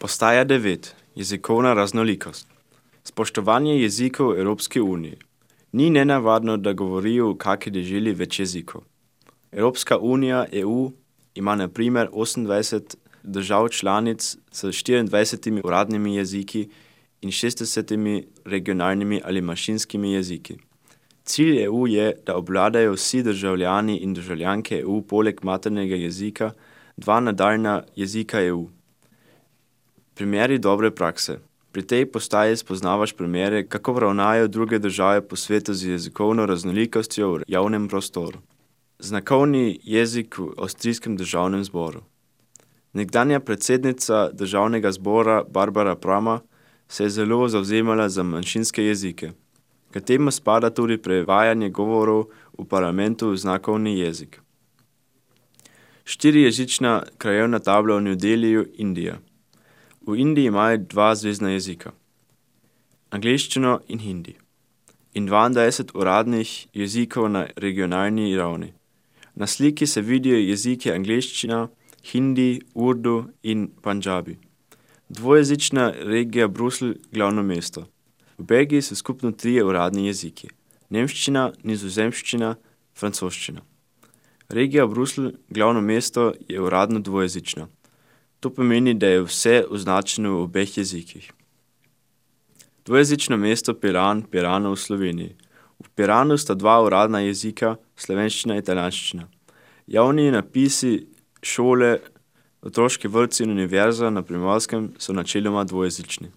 Ostaja 9. Jezikovna raznolikost. Spoštovanje jezikov Evropske unije. Ni nenavadno, da govorijo v kaki deželi več jezikov. Evropska unija, EU, ima na primer 28 držav članic s 24 uradnimi jeziki in 60 regionalnimi ali manjšinskimi jeziki. Cilj EU je, da obvladajo vsi državljani in državljanke EU poleg maternega jezika 2 nadaljna jezika EU. Primeri dobre prakse. Pri tej postaji spoznavaš primere, kako ravnajo druge države po svetu z jezikovno raznolikostjo v javnem prostoru. Znakovni jezik v Avstrijskem državnem zboru. Nekdanja predsednica državnega zbora Barbara Prama se je zelo zavzemala za manjšinske jezike. K temu spada tudi prevajanje govorov v parlamentu v znakovni jezik. 4-jezična krajevna tabla v New Delhiju, Indija. V Indiji imajo 2 zvezna jezika, angleščino in hindi, in 22 uradnih jezikov na regionalni ravni. Na sliki se vidijo jeziki angleščina, hindi, urdu in pandžabi. Dvojezična regija Bruselj, glavno mesto. V Belgiji so skupno 3 uradni jeziki: nemščina, nizozemščina, francoščina. Regija Bruselj, glavno mesto, je uradno dvojezična. To pomeni, da je vse označeno v obeh jezikih. Dvojezično mesto Piran, Pirano v Sloveniji. V Piranu sta 2 uradna jezika, slovenščina in italijanščina. Javni napisi šole, otroški vrtci in univerza na Primorskem so načeloma dvojezični.